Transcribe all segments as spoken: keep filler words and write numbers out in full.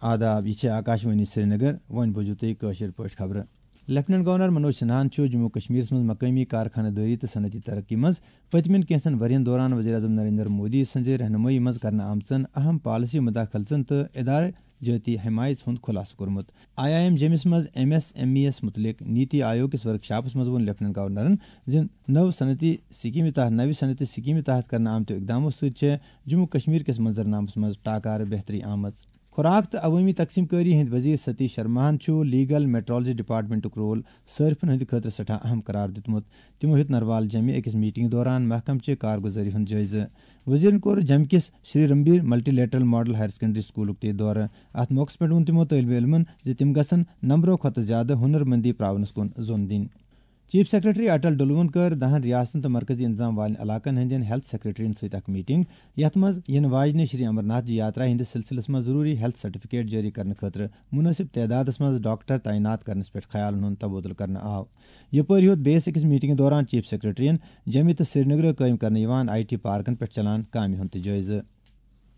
آداب، یہِ چھِ آکاشوانی سرینگر۔ وۄنۍ بوٗزِو تُہۍ کٲشِر پٲٹھۍ خبرٕ۔ لیفٹیننٹ گورنر منوج سنہاہن چھُ جموں کشمیرس منٛز مقٲمی کارخانہٕ دٲری تہٕ صنعتی ترقی منٛز پٔتمٮ۪ن کینٛژن ؤرین دوران وزیر اعظم نریندر مودی سٕنٛزِ رہنمٲیی منٛز کرنہٕ آمژن اہم پالیسی مداخلژن تہٕ ادارٕ جٲتی حمایژ ہُنٛد خُلاصہٕ کوٚرمُت۔ آئی آئی ایم جیمِس منٛز ایم ایس ایم ای یس مُتعلق نیتی آیوگ کِس ورکشاپس منٛز ووٚن لیفٹیننٹ گورنرن زِ نٔو صنعتی سکیمہِ تحت، نوِ صنعتی سکیمہِ تحت کرنہٕ آمتیو اقدامو سۭتۍ چھےٚ جموں کشمیر کِس منظرنامس منٛز ٹاکارٕ بہتری آمٕژ۔ خوراک تہٕ عوٲمی تقسیم کٲری ہٕنٛدۍ وزیر ستیش شرماہن چھُ لیگل میٹرالوجی ڈپارٹمنٹُک رول صٲرفن ہٕنٛدِ خٲطرٕ سٮ۪ٹھاہ اہم قرار دیُتمُت۔ تِمو ہیوٚت نروال جیمہِ أکِس میٹنگ دوران محکمہٕ چہِ کارگُزٲری ہُنٛد جٲیزٕ۔ وزیرن کوٚر جیمہِ کِس Shri Ranbir multilateral model higher secondary سکولُک تہِ دورٕ۔ اتھ موقعس پٮ۪ٹھ ووٚن تِمو طٲلبِ علمن زِ تِم گژھن نمبرو کھۄتہٕ زیادٕ ہُنر مندی پراونس کُن زوٚن دِنۍ۔ چیف سیکرٹری اٹل ڈلوُن کٔر دَہَن ریاستن تہٕ مرکزی انتظام والٮ۪ن علاقن ہٕنٛدٮ۪ن ہیلتھ سیکرٹرین سۭتۍ اکھ میٹنگ، یتھ منٛز یِنہٕ واجنہِ شری امرناتھ جی یاترا ہٕنٛدِس سلسلس منٛز ضروری ہیلتھ سرٹیفکیٹ جٲری کرنہٕ خٲطرٕ مناسب تعدادس منٛز ڈاکٹر تعینات کرنس پٮ۪ٹھ خیالن ہُنٛد تبادلہٕ کرنہٕ آو۔ یپٲرۍ ہیوٚت بیٚیِس أکِس میٹنگہِ دوران چیف سیکرٹرین جیمہِ تہٕ سرینگرٕ قٲیِم کرنہٕ یِوان آئی ٹی پارکن پٮ۪ٹھ چلان کامہِ ہُنٛد تہِ جٲیزٕ۔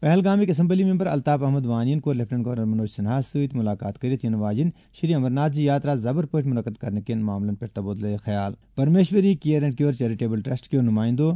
پہلگامٕکۍ اسمبلی ممبر الطاف احمد وانین کوٚر لیفٹیننٹ گورنر منوج سنہاہس سۭتۍ ملاقات کٔرِتھ یِنہٕ واجِنۍ شری امرناتھ جی یاترا زبر پٲٹھۍ منعقد کرنہٕ کٮ۪ن معاملن پٮ۪ٹھ تبادلہٕ خیال۔ Parmeshwari care and cure charitable trust کیو نمائندو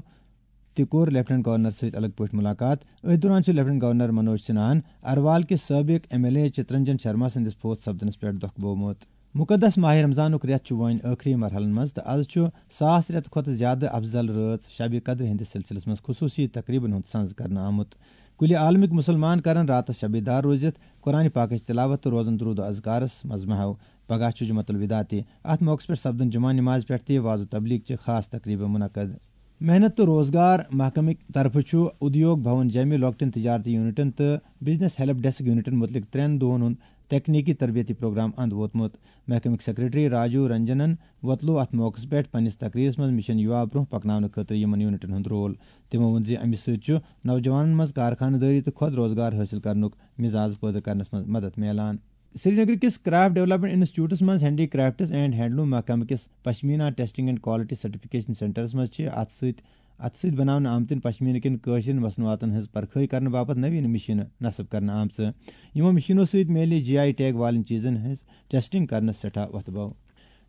تہِ کوٚر لیفٹیننٹ گورنر سۭتۍ الگ پٲٹھۍ ملاقات۔ أتھۍ دوران چھُ لیفٹیننٹ گورنر منوج سنہاہن اروال کِس سٲبق M L A Chittaranjan Sharma سٕنٛدِس فوت سپدنس پٮ۪ٹھ دۄکھ بوومُت۔ مقدس ماہ رمضانُک رٮ۪تھ چھُ وۄنۍ ٲخری مرحلن منٛز تہٕ از چھُ ساس رٮ۪تہٕ کھۄتہٕ زیادٕ افضل رٲژ شب قدر ہٕنٛدِس سلسلس منٛز خصوصی تقریبن ہُنٛد سنز کرنہٕ آمُت۔ کُلہِ عالمٕکۍ مُسلمان کرن راتس شبِ دار روٗزِتھ قرآن پاکٕچ تلاوت تہٕ روزن درود و اذکارس منٛز محو۔ پگاہ چھُ جمعۃ الوداع تہِ۔ اتھ موقعس پٮ۪ٹھ سپدن جمعہ نمازِ پٮ۪ٹھ تہِ وعظ و تبلیغ چہِ خاص تقریبہٕ منعقد۔ محنت تہٕ روزگار محکمٕکۍ طرفہٕ چھُ ادیوگ بھون جیمہِ لۄکٹٮ۪ن تجارتی یونٹن تہٕ بزنس ہیلپ ڈیسک یونٹن مُتعلق ترٛٮ۪ن دۄہن ہُنٛد تکنیکی تربیتی پروگرام اند ووتمُت۔ محکمٕکۍ سیکرٹری راجو رنجنن وۄتلوو اتھ موقعس پٮ۪ٹھ پننِس تقریرس منٛز مشن یووا برونٛہہ پکناونہٕ خٲطرٕ یِمن یونٹن ہُنٛد رول۔ تِمو ووٚن زِ امہِ سۭتۍ چھُ نوجوانن منٛز کارخانہٕ دٲری تہٕ خۄد روزگار حٲصِل کرنُک مزاج پٲدٕ کرنس منٛز مدد میلان۔ سرینگر کِس کرافٹ ڈیولپمنٹ انسٹیٹیوٹس منٛز ہینڈی کرافٹس اینڈ ہینڈلوم محکمہٕ کِس pashmina testing and quality certification سینٹرس منٛز چھِ اتھ سۭتۍ اتھٕ سۭتۍ بناونہٕ آمتٮ۪ن پشمیٖنہٕ کٮ۪ن کٲشرٮ۪ن مصنوعاتن ہٕنٛز پرکھٲے کرنہٕ باپتھ نٔویٖن مِشیٖنہٕ نصب کرنہٕ آمژٕ۔ یِمو مِشیٖنو سۭتۍ میلہِ جی آئی ٹیگ والٮ۪ن چیٖزن ہٕنٛز ٹیسٹنگ کرنس سٮ۪ٹھاہ وۄتھٕ بو۔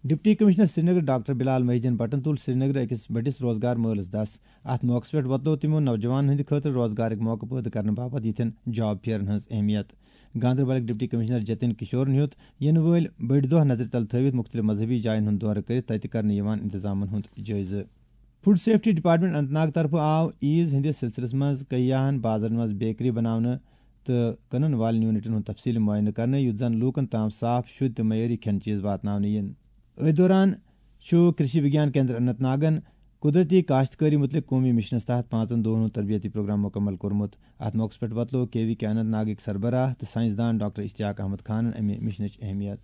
ڈپٹی کمشنر سرینگر ڈاکٹر بلال محی الدین بٹن تُل سرینگرٕ أکِس بٔڑِس روزگار مٲلس دس۔ اتھ موقعس پٮ۪ٹھ وۄتلوو تِمو نوجوانن ہٕنٛدِ خٲطرٕ روزگارٕکۍ موقعہٕ پٲدٕ کرنہٕ باپتھ یِتھٮ۪ن جاب فیئرن ہٕنٛز اہمیت۔ گاندربلٕکۍ ڈپٹی کمشنر جتن کشورن ہیوٚت یِنہٕ وٲلۍ بٔڑۍ دۄہ نظرِ تل تھٲوِتھ مُختٔلِف مذہبی جاین ہُنٛد دورٕ کٔرِتھ تتہِ کرنہٕ یِوان انتظامن ہُنٛد جٲیزٕ۔ Food safety department Anant Nag طرفہٕ آو عیز ہٕنٛدِس سلسلس منٛز کیاہن بازرن منٛز بیکری بناونہٕ تہٕ کٕنن والٮ۪ن یونٹن ہُنٛد تفصیٖلی معائنہٕ کرنہٕ، یُتھ زن لوٗکن تام صاف، شُد تہٕ معیٲری کھٮ۪ن چیٖز واتناونہٕ یِن۔ أتھۍ دوران چھُ کرشی وگیان کیندر اننت ناگن قدرتی کاشتکٲری مُتعلق قومی مِشنَس تحت پانٛژن دۄہَن ہُنٛد تربیتی پروگرام مُکمل کوٚرمُت۔ اَتھ موقعَس پٮ۪ٹھ وۄتلوو کے وی کے اننت ناگٕکۍ سربراہ تہٕ ساینس دان ڈاکٹر اشتیاق احمد خانَن اَمہِ مِشنٕچ اہمیت۔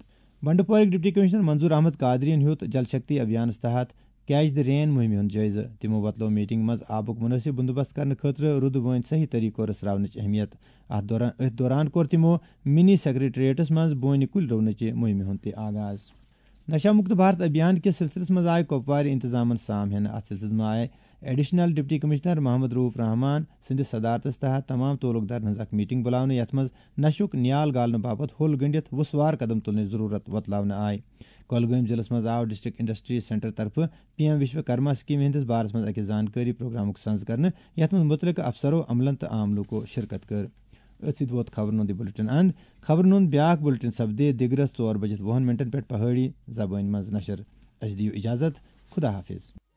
بنڈپورٕکۍ ڈپٹی کمشنر منظور احمد قادریَن ہیوٚت جل شکتی ابھیانَس تحت کیچ دی رین مُہِمہِ ہُنٛد جٲیزٕ۔ تِمو وۄتلوو میٹنگ منٛز آبُک مُنٲسِب بندوبست کرنہٕ خٲطرٕ رُدٕ وٲنۍ صحیح طریقہٕ رژھراونٕچ اہمیت۔ اَتھ دوران، أتھۍ دوران کوٚر تِمو منی سیکرٹریٹس منٛز بونہِ کُلۍ رُونٕچہِ مُہِمہِ ہُنٛد تہِ آغاز۔ نشہ مکت بھارت ابھیان کِس سلسلس منٛز آیہِ کۄپوارِ انتظامن سام ہٮ۪نہٕ۔ اتھ سلسلس منٛز آیہِ additional deputy commissioner Mohammad Rauf رحمان سٕنٛدِس صدارتس تحت تمام تعلق دارن ہٕنٛز اکھ میٹنگ بُلاونہٕ، یتھ منٛز نشُک نیال گالنہٕ باپتھ ہوٚل گٔنڈِتھ وُسوار قدم تُلنٕچ ضروٗرت وۄتلاونہٕ آیہِ۔ کۄلگٲمۍ ضلعس منٛز آو ڈسٹرکٹ انڈسٹری سینٹر طرفہٕ پی ایم وشوکرما سکیمہِ ہٕنٛدِس بارس منٛز أکِس زانکٲری پروگرامُک سنز کرنہٕ، یتھ منٛز متعلقہٕ افسرو، عملن تہٕ عام لوٗکو شرکت کٔر۔ أتھۍ سۭتۍ ووت خبرن ہُنٛد یہِ بلیٹن اند۔ خبرن ہُنٛد بیاکھ بلیٹن سپدِ دِگرس ژور بجِتھ وُہن منٹن پٮ۪ٹھ پہٲڑی زبٲنۍ منٛز نشر۔ اسہِ دِیِو اجازت۔ خدا حافظ۔